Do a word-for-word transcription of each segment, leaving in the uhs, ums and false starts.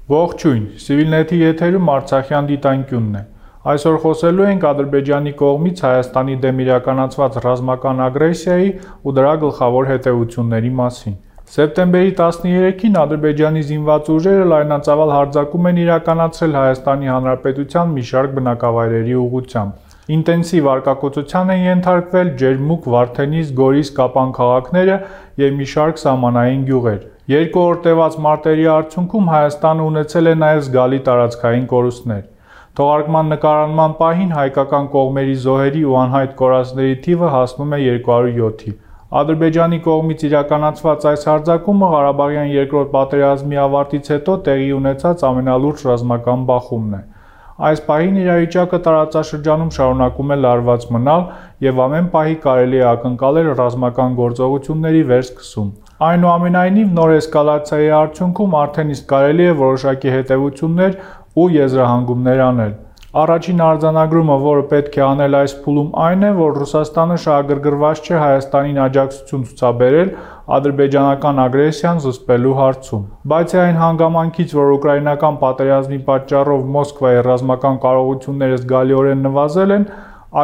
Ողջույն, Civilnet-ի եթերում Արցախյան դիտանկյունն է։ Այսօր խոսելու ենք Ադրբեջանի կողմից Հայաստանի դեմ իրականացված ռազմական ագրեսիայի ու դրա գլխավոր հետևությունների մասին։ Սեպտեմբերի տասներեքին Ադրբեջանի զինված ուժերը լայնածավալ հարձակում են իրականացրել Հայաստանի Հանրապետության մի շարք բնակավայրերի ուղղությամբ։ Ինտենսիվ արկակոծության են ենթարկվել Ջերմուկ, Վարդենիս, Գորիս, Կապան քաղաքները և մի շարք սահմանային գյուղեր։ Երկու օր տևած մարտերի արդյունքում Հայաստանը ունեցել է նաև զգալի տարածքային կորուստներ։ Թողարկման նկարանման պահին հայկական կողմերի զոհերի ու անհայտ կորածների թիվը հասնում է երկու հարյուր յոթի։ Ադրբեջանի կողմից իրականացված այս հարձակումը Ղարաբաղյան երկրորդ պատերազմի ավարտից հետո տեղի ունեցած ամենալուրջ ռազմական բախումն է։ Այս պահին իրավիճակը տարածաշրջանում շարունակում է լարված մնալ և ամեն պահի կարելի է ակնկալել ռազմական գործողությունների վերսկսում։ Այնուամենայնիվ, նոր էսկալացիայի արդյունքում արդեն իսկ կարելի է որոշակի հետևություններ ու եզրահանգումներ անել։ Առաջին արձանագրումը, որը պետք է անել այս փուլում, այն է, որ Ռուսաստանը շահագրգռված չէ Հայաստանին աջակցություն ցուցաբերել ադրբեջանական ագրեսիան զսպելու հարցում։ Բացի այն հանգամանքից, որ ուկրաինական պատերազմի պատճառով Մոսկվայի ռազմական կարողությունները զգալիորեն նվազել են,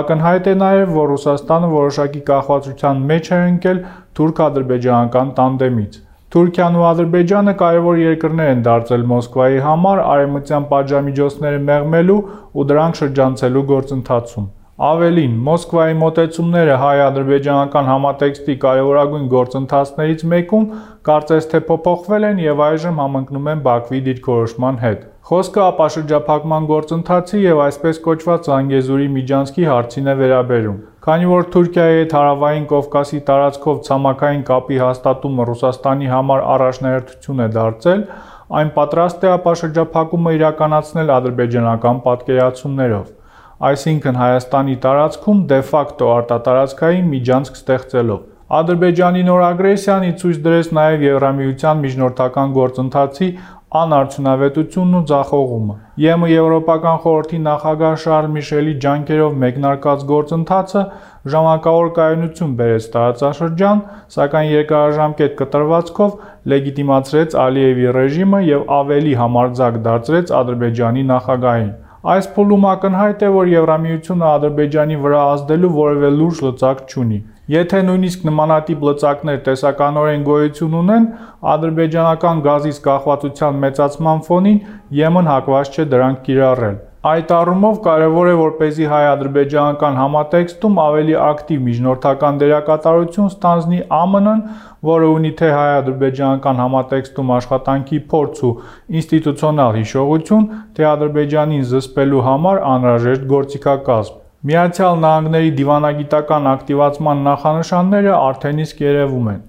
ակնհայտ է նաև, որ Ռուսաստանը որոշակի կախվածության մեջ է ընկել թուրք-ադրբեջանական տանդեմից։ Թուրքիան ու Ադրբեջանը կարևոր երկրներ են դարձել Մոսկվայի համար արևմտյան պատժամիջոցները մեղմելու ու դրանք շրջանցելու գործընթացում։ Ավելին, Մոսկվայի մոտեցումները հայ-ադրբեջանական համատեքստի կարևորագույն գործընթացներից մեկում կարծես թե փոփոխվել են և այժմ համընկնում են Բաքվի դիրքորոշման հետ։ Խոսքը ապաշրջափակման գործընթացի և այսպես կոչված Զանգեզուրի միջանցքի հարցին է վերաբերում։ Քանի որ Թուրքիայի հետ Հարավային Կովկասի տարածքով ցամաքային կապի հաստատումը Ռուսաստանի համար առաջնահերթություն է դարձել, այն պատրաստ է ապաշրջափակումը իրականացնել ադրբեջանական պատկերացումներով, այսինքն Հայաստանի տարածքում դե ֆակտո արտատարածքային միջանցք ստեղծելով։ Ադրբեջանի նոր ագրեսիան ի ցույց դրեց նաև Եվրամիության միջնորդական գործընթացի անարդյունավետությունն ու ձախողումը։ ԵՄ Եվրոպական խորհրդի նախագահ Շարլ Միշելի ջանքերով մեկնարկած գործընթացը ժամանակավոր կայունություն բերեց տարածաշրջան, սակայն երկարաժամկետ կտրվածքով լեգիտիմացրեց Ալիևի ռեժիմը և ավելի համարձակ դարձրեց Ադրբեջանի նախագահին։ Այս փուլում ակնհայտ է, որ Եվրամիությունը Ադրբեջանի վրա ազդելու որևէ լուրջ լծակ չունի։ Եթե նույնիսկ նմանատիպ լծակներ տեսականորեն գոյություն ունեն, ադրբեջանական գազից կախվածության մեծացման ֆոնին ԵՄ-ն հակված չէ դրանք կիրառել։ Այդ առումով կարևոր է, որպեսզի հայ-ադրբեջանական համատեքստում ավելի ակտիվ միջնորդական դերակատարություն ստանձնի ԱՄՆ-ն, որը ունի թե հայ-ադրբեջանական համատեքստում աշխատանքի փորձ ու ինստիտուցիոնալ հիշողություն, թե Ադրբեջանին զսպելու համար անհրաժեշտ գործիքակազմ։ Միացյալ Նահանգների դիվանագիտական ակտիվացման նախանշանները արդեն իսկ երևում են։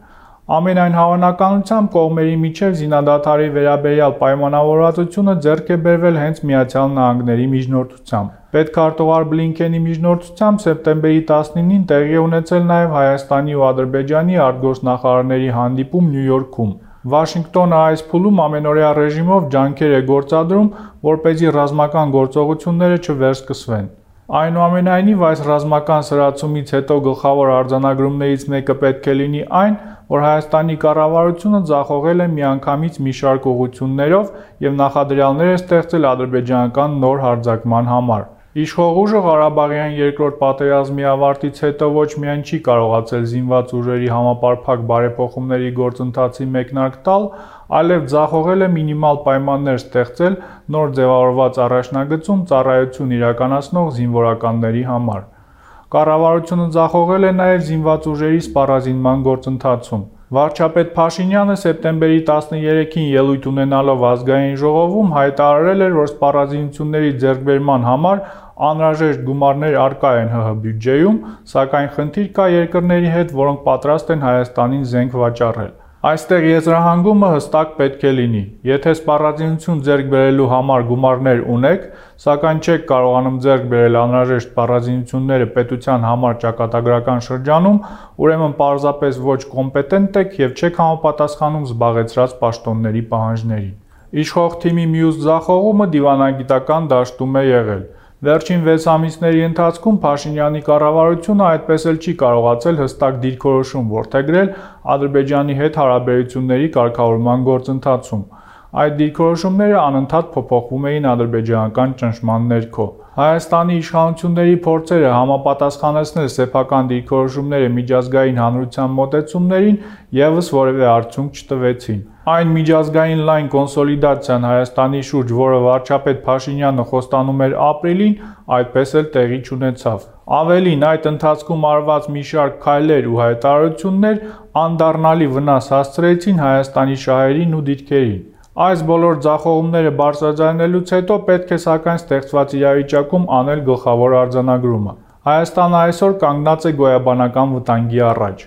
Ամենայն հավանականությամբ կողմերի միջև զինադադարի վերաբերյալ պայմանավորվածությունը ձեռք է բերվել հենց Միացյալ Նահանգների միջնորդությամբ։ Պետքարտուղար Բլինքենի միջնորդությամբ սեպտեմբերի տասնինին տեղի է ունեցել նաև Հայաստանի ու Ադրբեջանի արտգործնախարարների հանդիպում Նյու Յորքում։ Վաշինգտոնը այս փուլում ամենօրյա ռեժիմով ջանքեր է գործադրում, որպեսզի ռազմական գործողությունները չվերսկսվեն։ Այնուամենայնիվ, այս ռազմական սրացումից հետո գլխավոր արձանագրումներից մեկը պետք է լինի այն, որ Հայաստանի կառավարությունը ձախողել է միանգամից մի շարք ուղղություններով և նախադրյալներ է ստեղծել ադրբեջանական նոր հարձակման համար։ Իշխող ուժը Ղարաբաղյան երկրորդ պատերազմի ավարտից հետո ոչ միայն չի կարողացել զինված ուժերի համապարփակ բարեփոխումների գործընթացի մեկնարկ տալ, այլև ձախողել է մինիմալ պայմաններ ստեղծել նոր ձևավորված առաջնագծում ծառայություն իրականացնող զինվորականների համար։ Կառավարությունը ձախողել է նաև զինված ուժերի սպառազինման գործընթացում։ Վարչապետ Փաշինյանը սեպտեմբերի տասներեքին ելույթ ունենալով ազգային ժողովում հայտարարել էր, որ սպառազինությունների ձեռքբերման համար անհրաժեշտ գումարներ առկա են ՀՀ բյուջեում, սակայն խնդիր կա երկրների հետ, որոնք պատրաստ են Հայաստանին զենք վաճառել։ Այստեղ եզրահանգումը հստակ պետք է լինի։ Եթե սպառազինություն ձեռք բերելու համար գումարներ ունեք, սակայն չեք կարողանում ձեռք բերել անհրաժեշտ սպառազինությունները պետության համար ճակատագրական շրջանում, ուրեմն պարզապես ոչ կոմպետենտ եք և չեք համապատասխանում զբաղեցրած պաշտոնների պահանջներին։ Իշխող թիմի մյուս ձախողումը դիվանագիտական դաշտում է եղել։ Վերջին վեց ամիսների ընթացքում Փաշինյանի կառավարությունը այդպես էլ չի կարողացել հստակ դիրքորոշում որդեգրել Ադրբեջանի հետ հարաբերությունների կարգավորման գործընթացում։ Այդ դիրքորոշումները անընդհատ փոփոխվում էին ադրբեջանական ճնշման ներքո։ Հայաստանի իշխանությունների փորձերը համապատասխանեցնել սեփական դիրքորոշումները միջազգային հանրության մոտեցումներին ևս որևէ արդյունք չտվեցին։ Այն միջազգային լայն կոնսոլիդացիան Հայաստանի շուրջ, որը վարչապետ Փաշինյանը խոստանում էր ապրիլին, այդպես էլ տեղի չունեցավ։ Ավելին, այդ ընթացքում արված մի շարք քայլեր ու հայտարարություններ անդառնալի վնաս հասցրեցին Հայաստանի շահերին ու դիրքերին։ Այս բոլոր ձախողումները բարձրաձայնելուց հետո պետք է սակայն ստեղծված իրավիճակում անել գլխավոր արձանագրումը։ Հայաստանը այսօր կանգնած է գոյաբանական վտանգի առաջ։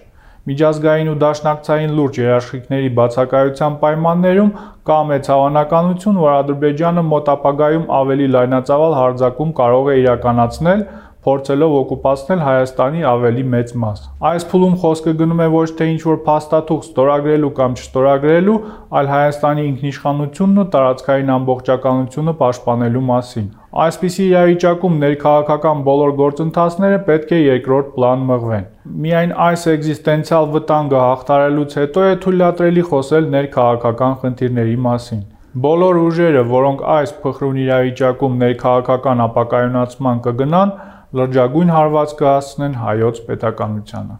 Միջազգային ու դաշնակցային լուրջ երաշխիքների բացակայության պայմաններում կա մեծ հավանականություն, որ Ադրբեջանը մոտ ապագայում ավելի լայնածավալ հարձակում կարող է իրականացնել, փորձելով օկուպացնել Հայաստանի ավելի մեծ մաս։ Այս փուլում խոսքը գնում է ոչ թե ինչ-որ փաստաթուղթ ստորագրելու կամ չստորագրելու, այլ Հայաստանի ինքնիշխանությունն ու տարածքային ամբողջականությունը պաշտպանելու մասին։ Այսպիսի իրավիճակում ներքաղաքական բոլոր գործընթացները պետք է երկրորդ պլան մղվեն։ Միայն այս էկզիստենցիալ վտանգը հաղթահարելուց հետո է թույլատրելի խոսել ներքաղաքական խնդիրների մասին։ Բոլոր ուժերը, որոնք այս փխրուն իրավիճակում ներքաղաքական ապակայունացման կգնան, լրջագույն հարված կհասցնեն հայոց պետականությանը։